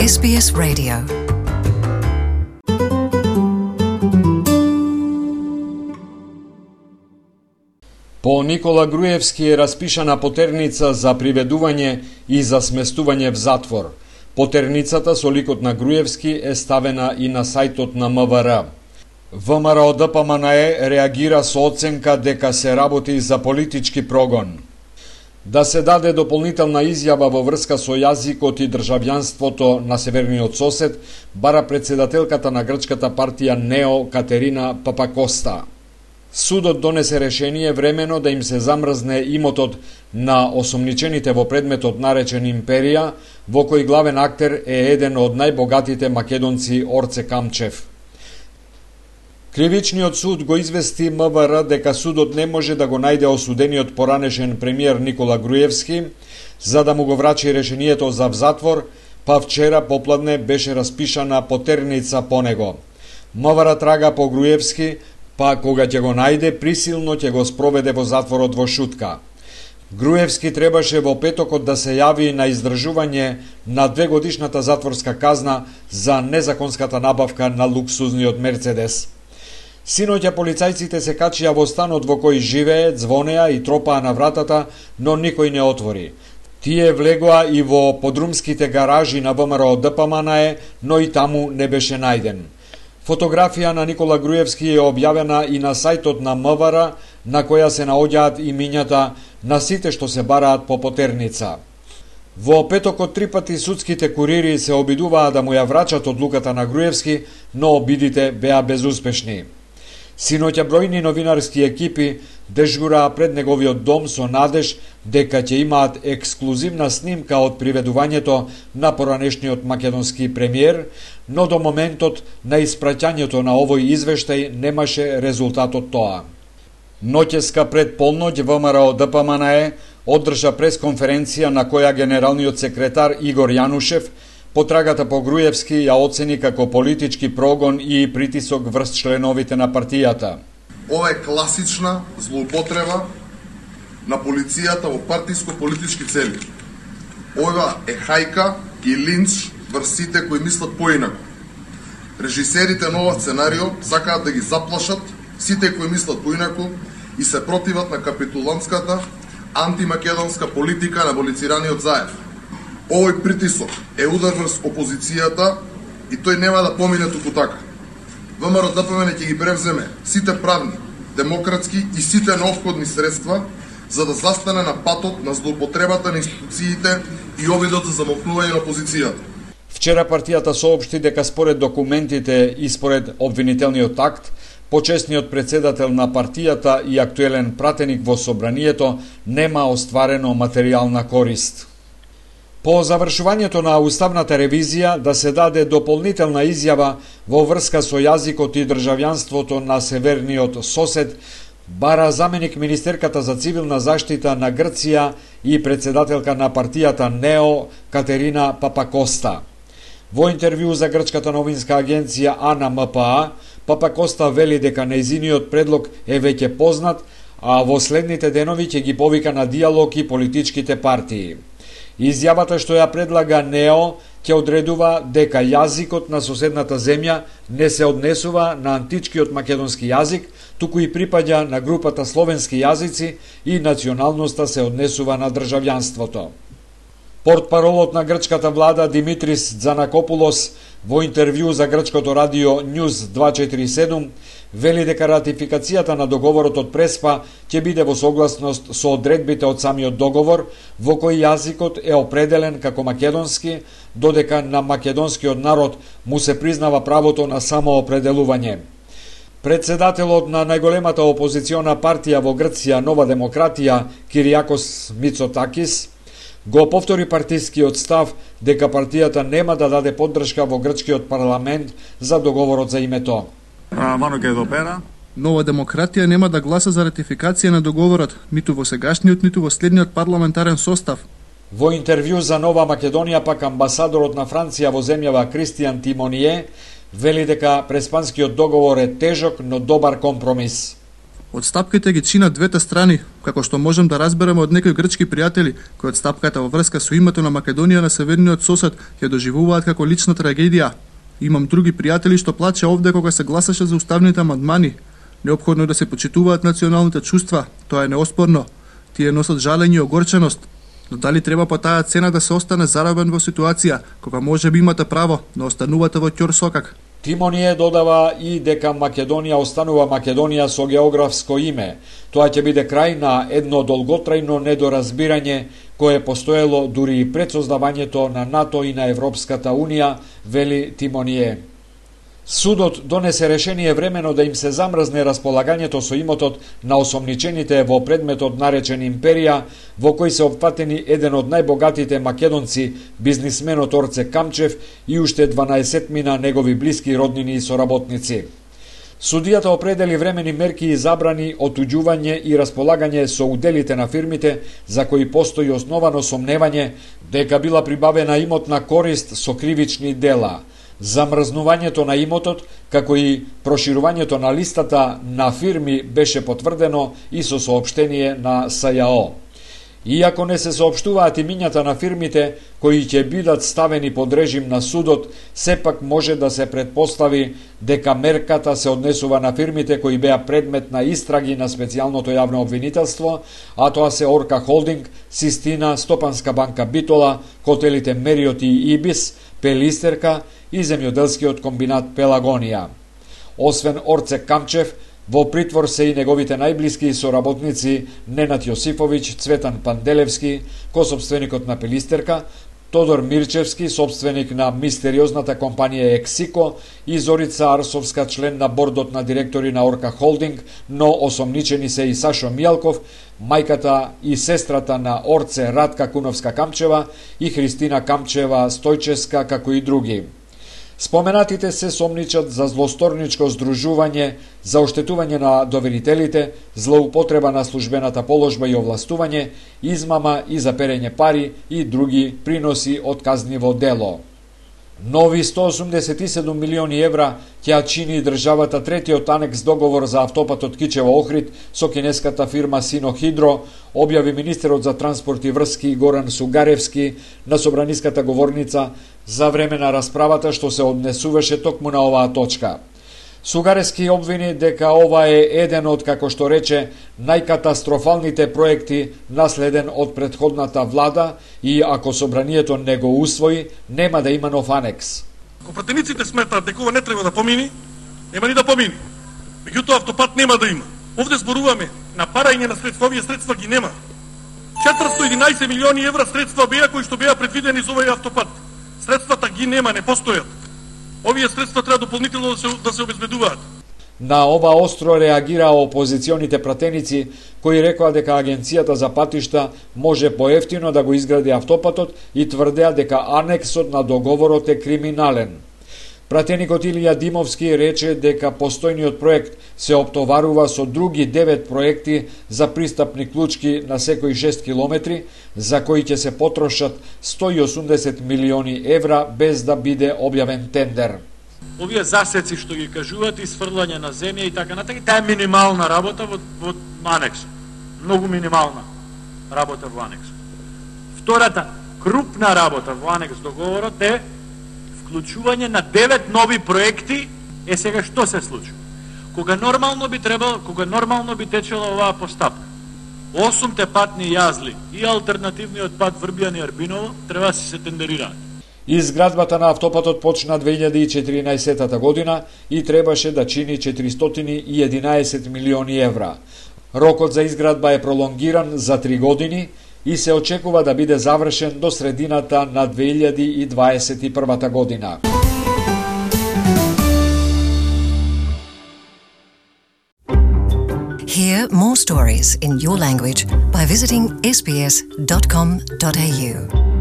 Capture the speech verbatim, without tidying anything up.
Ес Би Ес Radio. По Никола Груевски е распишана потерница за приведување и за сместување в затвор. Потерницата со ликот на Груевски е ставена и на сајтот на М В Р. ВМРО Д П М Н Е реагира со оценка дека се работи за политички прогон. Да се даде дополнителна изјава во врска со јазикот и државјанството на северниот сосед, бара председателката на грчката партија НЕО Катерина Папакоста. Судот донесе решение времено да им се замрзне имотот на осомничените во предметот наречен Империја, во кој главен актер е еден од најбогатите македонци Орце Камчев. Кривичниот суд го извести М В Р дека судот не може да го најде осудениот поранешен премиер Никола Груевски, за да му го врачи решението за в затвор, па вчера попладне беше распишана потерница по него. М В Р трага по Груевски, па кога ќе го најде, присилно ќе го спроведе во затворот во Шутка. Груевски требаше во петокот да се јави на издржување на двегодишната затворска казна за незаконската набавка на луксузниот Мерцедес. Синоќа полицајците се качија во станот во кој живее, звонеа и тропаа на вратата, но никој не отвори. Тие влегоа и во подрумските гаражи на ВМРО Д П М Н Е, но и таму не беше најден. Фотографија на Никола Груевски е објавена и на сајтот на М В Р, на која се наоѓаат имињата на сите што се бараат по потерница. Во петокот три пати судските курири се обидуваа да му ја врачат одлуката на Груевски, но обидите беа безуспешни. Синоќа бројни новинарски екипи дежураа пред неговиот дом со надеж дека ќе имаат ексклузивна снимка од приведувањето на поранешниот македонски премиер, но до моментот на испраќањето на овој извештај немаше резултат од тоа. Ноќеска пред полноќ ВМРО Д П М Н Е одржа пресконференција на која генералниот секретар Игор Јанушев потрагата по Груевски ја оцени како политички прогон и притисок врз членовите на партијата. Ова е класична злоупотреба на полицијата во партиско-политички цели. Ова е хајка и линч врз сите кои мислат поинаку. Режисерите на ова сценарио сакаат да ги заплашат сите кои мислат поинаку и се противат на капитулантската антимакедонска политика на аболицираниот Заев. Овој притисок е удар врз опозицијата и тој нема да помине туку така. ВМРО Д П М Н ќе ги превземе сите правни, демократски и сите неопходни средства за да застане на патот на злоупотребата на институциите и обидот за замолкнување на опозицијата. Вчера партијата соопшти дека според документите и според обвинителниот акт, почесниот председател на партијата и актуелен пратеник во собранието нема остварено материјална корист. По завршувањето на уставната ревизија да се даде дополнителна изјава во врска со јазикот и државјанството на северниот сосед, бара заменик министерката за цивилна заштита на Грција и председателка на партијата НЕО Катерина Папакоста. Во интервју за грчката новинска агенција А Н М П А, Папакоста вели дека нејзиниот предлог е веќе познат, а во следните денови ќе ги повика на диалог и политичките партии. Изјавата што ја предлага НЕО ќе одредува дека јазикот на соседната земја не се однесува на античкиот македонски јазик, туку и припаѓа на групата словенски јазици и националноста се однесува на државјанството. Портпаролот на грчката влада Димитрис Дзанакопулос во интервју за грчкото радио Ньюз дваесет и четири седум вели дека ратификацијата на договорот од Преспа ќе биде во согласност со одредбите од самиот договор, во кој јазикот е определен како македонски, додека на македонскиот народ му се признава правото на самоопределување. Председателот на најголемата опозициона партија во Грција, Нова демократија, Киријакос Мицотакис, го повтори партискиот став дека партијата нема да даде поддршка во грчкиот парламент за договорот за името. Нова демократија нема да гласа за ратификација на договорот, ниту во сегашниот, ниту во следниот парламентарен состав. Во интервју за Нова Македонија пак амбасадорот на Франција во земјава Кристијан Тимоние вели дека преспанскиот договор е тежок, но добар компромис. Отстапките ги чинат двете страни, како што можем да разбереме од некои грчки пријатели, кои отстапката во врска со името на Македонија на северниот сосед ја доживуваат како лична трагедија. Имам други пријатели што плаче овде кога се гласаше за уставните амандмани. Неопходно е да се почитуваат националните чувства, тоа е неоспорно. Тие носат жалење и огорченост. Но дали треба по таа цена да се остане заробен во ситуација, кога може би имате право, но останувате во ќорсокак? Тимоние додава и дека Македонија останува Македонија со географско име. Тоа ќе биде крај на едно долготрајно недоразбирање кое постоело дури и пред создавањето на НАТО и на Европската Унија, вели Тимоние. Судот донесе решение времено да им се замрзне располагањето со имотот на осомничените во предметот наречен Империја, во кој се опфатени еден од најбогатите македонци, бизнисменот Орце Камчев и уште дванаесетмина негови блиски роднини и соработници. Судијата определи времени мерки и забрани отуѓување и располагање со уделите на фирмите за кои постои основано сомневање дека била прибавена имотна корист со кривични дела. Замрзнувањето на имотот, како и проширувањето на листата на фирми беше потврдено и со соопштение на СЈО. Иако не се соопштуваат имињата на фирмите кои ќе бидат ставени под режим на судот, сепак може да се предпостави дека мерката се однесува на фирмите кои беа предмет на истраги на специјалното јавно обвинителство, а тоа се Орка Холдинг, Систина, Стопанска банка Битола, хотелите Мериот и Ибис, Пелистерка и земјоделскиот комбинат Пелагонија. Освен Орце Камчев, во притвор се и неговите најблиски соработници Ненад Јосифовиќ, Цветан Панделевски, косопственикот на Пелистерка, Тодор Мирчевски, собственик на мистериозната компанија Ексико, и Зорица Арсовска, член на бордот на директори на Орка Холдинг, но осомничени се и Сашо Мијалков, мајката и сестрата на Орце Радка Куновска Камчева и Христина Камчева Стојческа, како и други. Споменатите се сомничат за злосторничко здружување, за оштетување на доверителите, злоупотреба на службената положба и овластување, измама и за перење пари и други приноси од казниво дело. Нови сто осумдесет и седум милиони евра ќе чини државата третиот анекс договор за автопатот Кичево-Охрид со кинеската фирма Синохидро, објави министерот за транспорт и врски Горан Сугаревски на собраниската говорница за време на расправата што се однесуваше токму на оваа точка. Сугаревски обвини дека ова е еден од, како што рече, најкатастрофалните проекти наследен од претходната влада и ако собранието не го усвои, нема да има нов анекс. Ако пратениците сметаат дека ова не треба да помини, нема ни да помини. Меѓутоа автопат нема да има. Овде зборуваме на парање на средства, овие средства ги нема. четиристо и единаесет милиони евра средства беа кои што беа предвидени за овој автопат. Средствата ги нема, не постојат. Овие средства треба дополнително да се, да се обезбедуваат. На ова остро реагираа опозиционите пратеници, кои рекоа дека Агенцијата за патишта може поевтино да го изгради автопатот и тврдеа дека анексот на договорот е криминален. Пратеникот Илија Димовски рече дека постојниот проект се оптоварува со други девет проекти за пристапни клучки на секои шест километри, за кои ќе се потрошат сто и осумдесет милиони евра без да биде објавен тендер. Овие засеци што ги кажуваат, исфрлање на земја и така натаму, таа е минимална работа во, во анекс. Многу минимална работа во анекс. Втората крупна работа во анекс договорот е вклучување на девет нови проекти. Е сега што се случи? Кога нормално би требало, кога нормално би течела оваа постапка, осумте патни јазли и алтернативниот пат Врбијани Арбиново треба да се тендерираат. Изградбата на автопатот почна две илјади и четиринаесета година и требаше да чини четиристотини и единаесет милиони евра. Рокот за изградба е пролонгиран за три години и се очекува да биде завршен до средината на две илјади и дваесет и прва година. Hear more stories in your language by visiting s b s dot com dot a u.